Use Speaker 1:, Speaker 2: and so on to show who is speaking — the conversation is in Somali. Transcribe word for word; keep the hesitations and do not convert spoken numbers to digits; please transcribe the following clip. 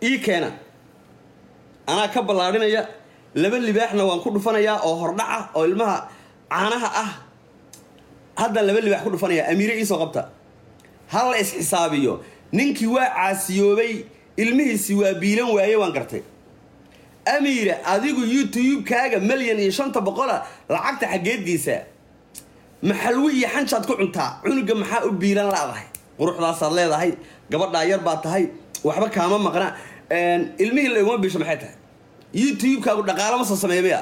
Speaker 1: Ii keena, anaa ka ballaadhinaya. Laba libaaxna waan ku dhufanayaa oo hordhaca oo ilmaha caanaha ah. Haddaan laba libaax ku dhufanaya. Amiire iisoo qabta, ha la isxisaabiyo. Ninkii waa caasiyoobay, ilmihiisi waa biilan waaye, waan gartay. Amiire, adigu YouTube-kaaga milyan iyo shanta boqola lacagta xaggeed geysaa? Maxalwi iyo xanjaad ku cuntaa? Cunuga maxaa u biilan laadahay? Quruxdaasaad leedahay, gabadhaa yar baa tahay, waxba kaama maqna, ilmihii la iguma biisho. Maxay tahay? YouTube-kaagu dhaqaalo ma soo sameeya miya?